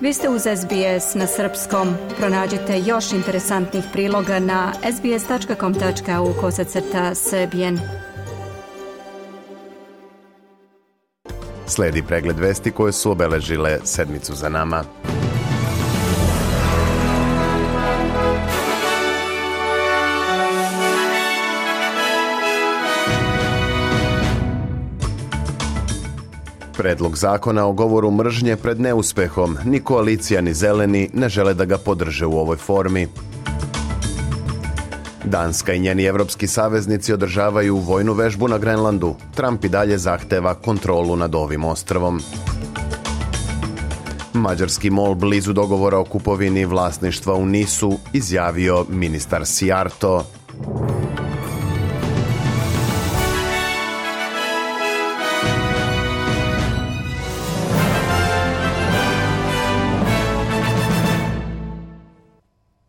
Vi ste uz SBS na srpskom. Pronađite još interesantnih priloga na sbs.com.au/srbijen. Slijedi pregled vesti koje su obeležile sedmicu za nama. Predlog zakona o govoru mržnje pred neuspehom. Ni koalicija ni zeleni ne žele da ga podrže u ovoj formi. Danska i njeni evropski saveznici održavaju vojnu vežbu na Grenlandu. Trump i dalje zahteva kontrolu nad ovim ostrvom. Mađarski mol blizu dogovora o kupovini vlasništva u Nisu, izjavio ministar Sijarto.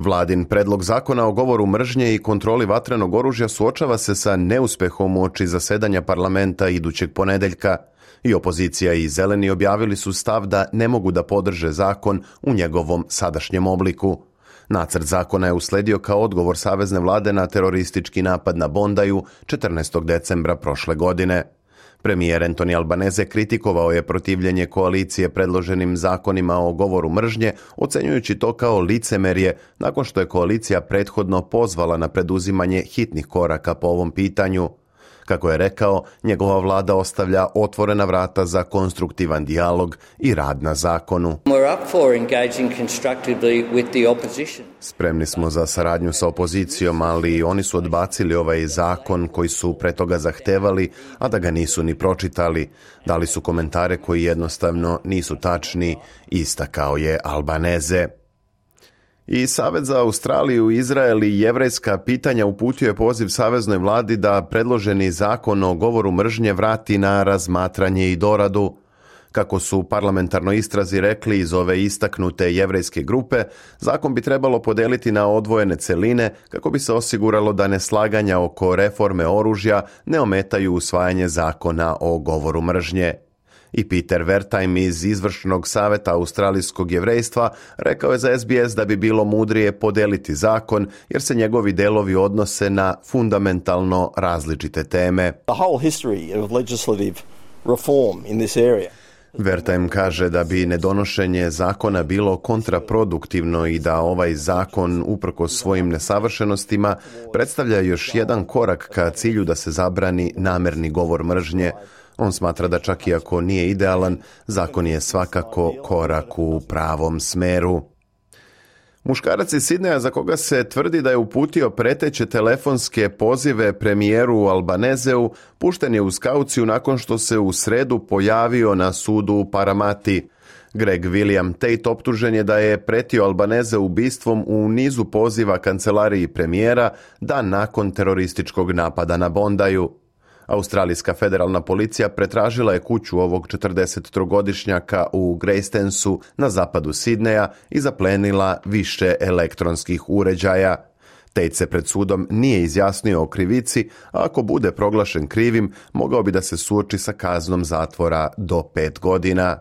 Vladin predlog zakona o govoru mržnje i kontroli vatrenog oružja suočava se sa neuspehom uoči zasedanja parlamenta idućeg ponedeljka. I opozicija i zeleni objavili su stav da ne mogu da podrže zakon u njegovom sadašnjem obliku. Nacrt zakona je usledio kao odgovor savezne vlade na teroristički napad na Bondaju 14. decembra prošle godine. Premijer Anthony Albanese kritikovao je protivljenje koalicije predloženim zakonima o govoru mržnje, ocenjujući to kao licemerje nakon što je koalicija prethodno pozvala na preduzimanje hitnih koraka po ovom pitanju. Kako je rekao, njegova vlada ostavlja otvorena vrata za konstruktivan dijalog i rad na zakonu. Spremni smo za saradnju sa opozicijom, ali oni su odbacili ovaj zakon koji su pre toga zahtevali, a da ga nisu ni pročitali. Dali su komentare koji jednostavno nisu tačni, istakao je Albanese. I Savet za Australiju, Izrael i jevrejska pitanja uputio je poziv saveznoj vladi da predloženi zakon o govoru mržnje vrati na razmatranje i doradu. Kako su parlamentarnoj istrazi rekli iz ove istaknute jevrejske grupe, zakon bi trebalo podeliti na odvojene celine kako bi se osiguralo da neslaganja oko reforme oružja ne ometaju usvajanje zakona o govoru mržnje. I Peter Wertheim iz izvršnog saveta australijskog jevrejstva rekao je za SBS da bi bilo mudrije podeliti zakon jer se njegovi delovi odnose na fundamentalno različite teme. The whole history of legislative reform in this area. Wertheim kaže da bi nedonošenje zakona bilo kontraproduktivno i da ovaj zakon, uprkos svojim nesavršenostima, predstavlja još jedan korak ka cilju da se zabrani namerni govor mržnje. On smatra da čak i ako nije idealan, zakon je svakako korak u pravom smeru. Muškarac iz Sidneja za koga se tvrdi da je uputio preteće telefonske pozive premijeru Albaneseu, pušten je uz kauciju nakon što se u sredu pojavio na sudu u Paramati. Greg William Tate optužen je da je pretio Albanese ubistvom u nizu poziva kancelariji premijera dan nakon terorističkog napada na Bondaju. Australijska federalna policija pretražila je kuću ovog 43-godišnjaka u Greystansu na zapadu Sidneja i zaplenila više elektronskih uređaja. Tate se pred sudom nije izjasnio o krivici, a ako bude proglašen krivim, mogao bi da se suoči sa kaznom zatvora do 5 godina.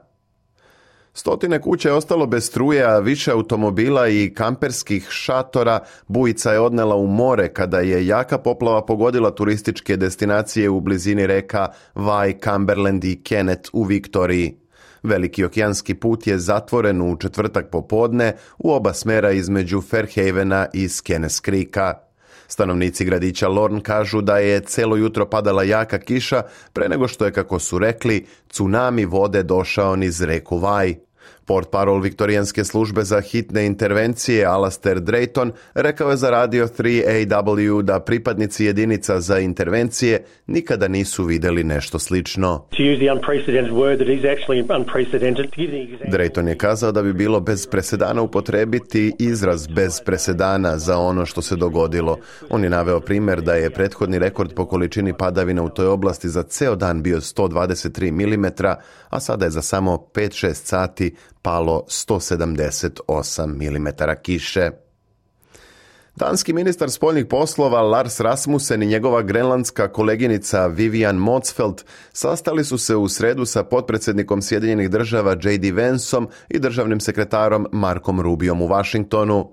Stotine kuća je ostalo bez struje, a više automobila i kamperskih šatora bujica je odnela u more kada je jaka poplava pogodila turističke destinacije u blizini reka Vai, Cumberland i Kennet u Viktoriji. Veliki okeanski put je zatvoren u četvrtak popodne u oba smera između Fairhavena i Skenes Creeka. Stanovnici gradića Lorne kažu da je celo jutro padala jaka kiša pre nego što je, kako su rekli, tsunami vode došao niz reku Vai. Portparol viktorijanske službe za hitne intervencije Alastair Drayton rekao je za Radio 3AW da pripadnici jedinica za intervencije nikada nisu vidjeli nešto slično. Drayton je kazao da bi bilo bez presedana upotrebiti izraz bez presedana za ono što se dogodilo. On je naveo primjer da je prethodni rekord po količini padavina u toj oblasti za ceo dan bio 123 mm, a sada je za samo 5-6 sati palo 178 mm kiše. Danski ministar spoljnih poslova Lars Rasmussen i njegova grenlandska koleginica Vivian Motzfeldt sastali su se u sredu sa potpredsjednikom Sjedinjenih država J.D. Vanceom i državnim sekretarom Markom Rubiom u Washingtonu.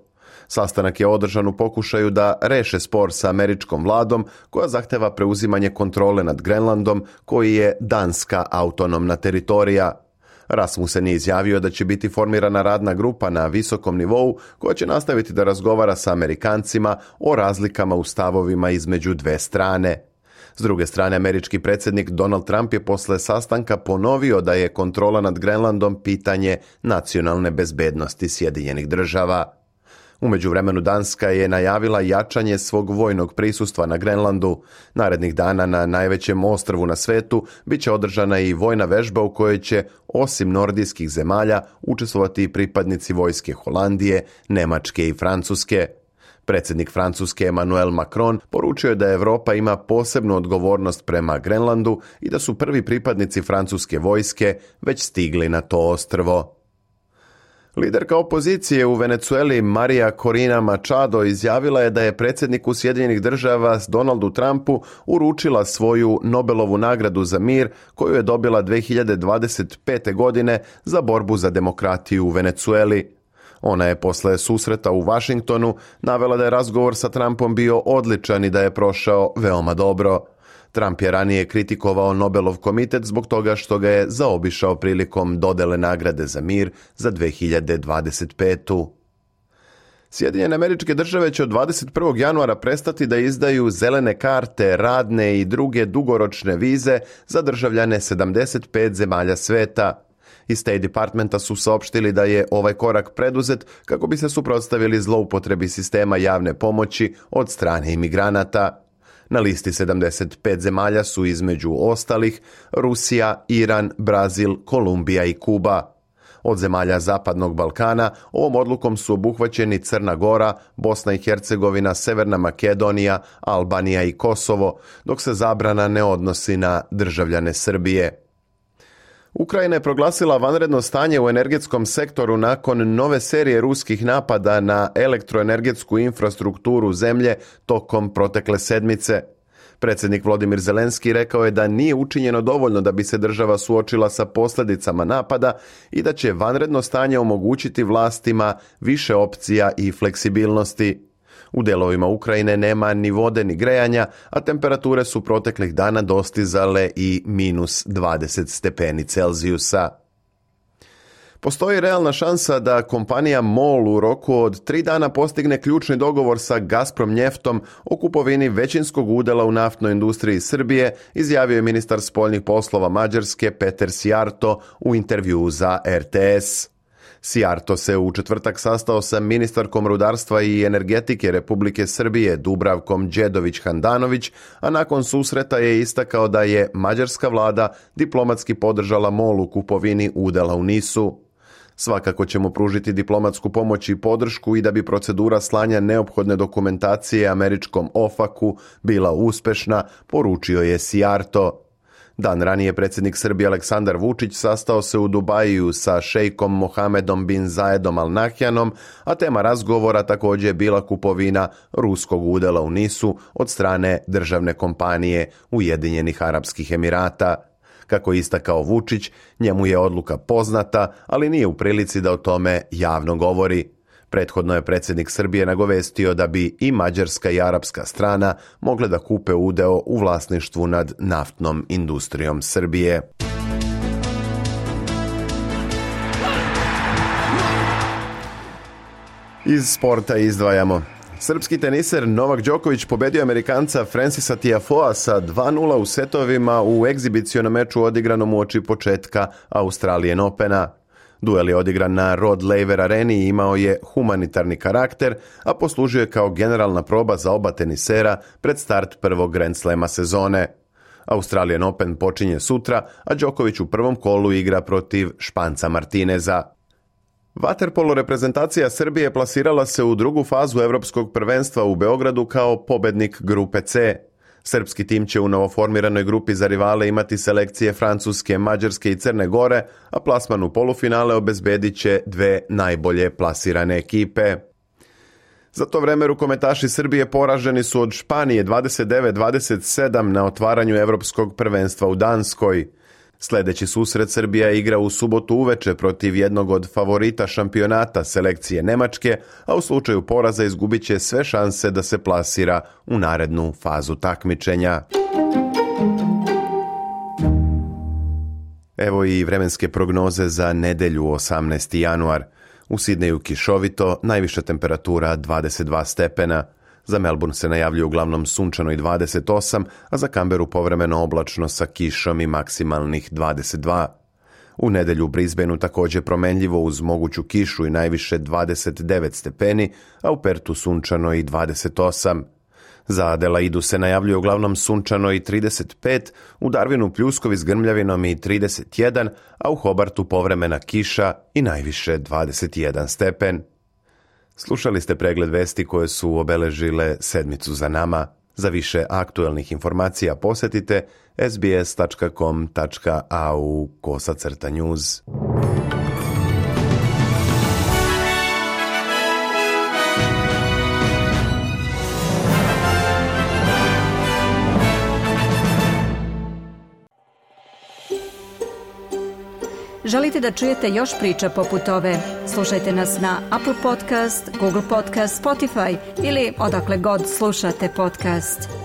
Sastanak je održan u pokušaju da reše spor sa američkom vladom koja zahteva preuzimanje kontrole nad Grenlandom koji je danska autonomna teritorija. Rasmussen je izjavio da će biti formirana radna grupa na visokom nivou koja će nastaviti da razgovara sa Amerikancima o razlikama u stavovima između dve strane. S druge strane, američki predsjednik Donald Trump je posle sastanka ponovio da je kontrola nad Grenlandom pitanje nacionalne bezbednosti Sjedinjenih država. U međuvremenu Danska je najavila jačanje svog vojnog prisustva na Grenlandu. Narednih dana na najvećem ostrvu na svetu bit će održana i vojna vežba u kojoj će, osim nordijskih zemalja, učestvovati i pripadnici vojske Holandije, Nemačke i Francuske. Predsjednik Francuske Emmanuel Macron poručio je da Europa ima posebnu odgovornost prema Grenlandu i da su prvi pripadnici francuske vojske već stigli na to ostrvo. Liderka opozicije u Venezueli Maria Corina Machado izjavila je da je predsjedniku Sjedinjenih država Donaldu Trumpu uručila svoju Nobelovu nagradu za mir koju je dobila 2025. godine za borbu za demokratiju u Venezueli. Ona je posle susreta u Washingtonu navela da je razgovor sa Trumpom bio odličan i da je prošao veoma dobro. Trump je ranije kritikovao Nobelov komitet zbog toga što ga je zaobišao prilikom dodele nagrade za mir za 2025. Sjedinjene Američke Države će od 21. januara prestati da izdaju zelene karte, radne i druge dugoročne vize za državljane 75 zemalja sveta. Iz State Departmenta su saopštili da je ovaj korak preduzet kako bi se suprotstavili zloupotrebi sistema javne pomoći od strane imigranata. Na listi 75 zemalja su između ostalih Rusija, Iran, Brazil, Kolumbija i Kuba. Od zemalja Zapadnog Balkana ovom odlukom su obuhvaćeni Crna Gora, Bosna i Hercegovina, Severna Makedonija, Albanija i Kosovo, dok se zabrana ne odnosi na državljane Srbije. Ukrajina je proglasila vanredno stanje u energetskom sektoru nakon nove serije ruskih napada na elektroenergetsku infrastrukturu zemlje tokom protekle sedmice. Predsjednik Volodymyr Zelenski rekao je da nije učinjeno dovoljno da bi se država suočila sa posljedicama napada i da će vanredno stanje omogućiti vlastima više opcija i fleksibilnosti. U delovima Ukrajine nema ni vode ni grejanja, a temperature su proteklih dana dostizale i minus 20 stepeni Celzijusa. Postoji realna šansa da kompanija MOL u roku od 3 dana postigne ključni dogovor sa Gazprom Njeftom o kupovini većinskog udjela u naftnoj industriji Srbije, izjavio je ministar spoljnih poslova Mađarske Peter Sijarto u intervjuu za RTS. Sijarto se u četvrtak sastao sa ministarkom rudarstva i energetike Republike Srbije Dubravkom Đedović-Handanović, a nakon susreta je istakao da je mađarska vlada diplomatski podržala MOL u kupovini udjela u NIS-u. Svakako ćemo pružiti diplomatsku pomoć i podršku i da bi procedura slanja neophodne dokumentacije američkom OFAC-u bila uspešna, poručio je Sijarto. Dan ranije predsjednik Srbije Aleksandar Vučić sastao se u Dubaju sa šejkom Mohamedom bin Zayedom Al Nahyanom, a tema razgovora također je bila kupovina ruskog udjela u NIS-u od strane državne kompanije Ujedinjenih Arapskih Emirata. Kako je istakao Vučić, njemu je odluka poznata, ali nije u prilici da o tome javno govori. Prethodno je predsjednik Srbije nagovestio da bi i mađarska i arapska strana mogle da kupe udeo u vlasništvu nad naftnom industrijom Srbije. Iz sporta izdvajamo. Srpski teniser Novak Đoković pobedio Amerikanca Francisa Tiafoea sa 2:0 u setovima u egzibicionom meču odigranom uoči početka Australian Opena. Duel je odigran na Rod Laver areni i imao je humanitarni karakter, a poslužio je kao generalna proba za oba tenisera pred start prvog Grand Slema sezone. Australian Open počinje sutra, a Đoković u prvom kolu igra protiv Španca Martineza. Vaterpolo reprezentacija Srbije plasirala se u drugu fazu Evropskog prvenstva u Beogradu kao pobednik grupe C. Srpski tim će u novoformiranoj grupi za rivale imati selekcije Francuske, Mađarske i Crne Gore, a plasman u polufinale obezbedit će dve najbolje plasirane ekipe. Za to vreme rukometaši Srbije poraženi su od Španije 29-27 na otvaranju Evropskog prvenstva u Danskoj. Sljedeći susret Srbija igra u subotu uveče protiv jednog od favorita šampionata selekcije Nemačke, a u slučaju poraza izgubit će sve šanse da se plasira u narednu fazu takmičenja. Evo i vremenske prognoze za nedelju 18. januar. U Sidneju kišovito, najviša temperatura 22 stepena. Za Melbourne se najavljuje uglavnom sunčano i 28, a za Canberru povremeno oblačno sa kišom i maksimalnih 22. U nedelju u Brisbaneu također promenljivo uz moguću kišu i najviše 29 stepeni, a u Pertu sunčano i 28. Za Adelaidu se najavljuje uglavnom sunčano i 35, u Darwinu pljuskovi s grmljavinom i 31, a u Hobartu povremena kiša i najviše 21 stepen. Slušali ste pregled vesti koje su obeležile sedmicu za nama. Za više aktuelnih informacija posjetite sbs.com.au/news. Želite da čujete još priča poput ove? Slušajte nas na Apple Podcast, Google Podcast, Spotify ili odakle god slušate podcast.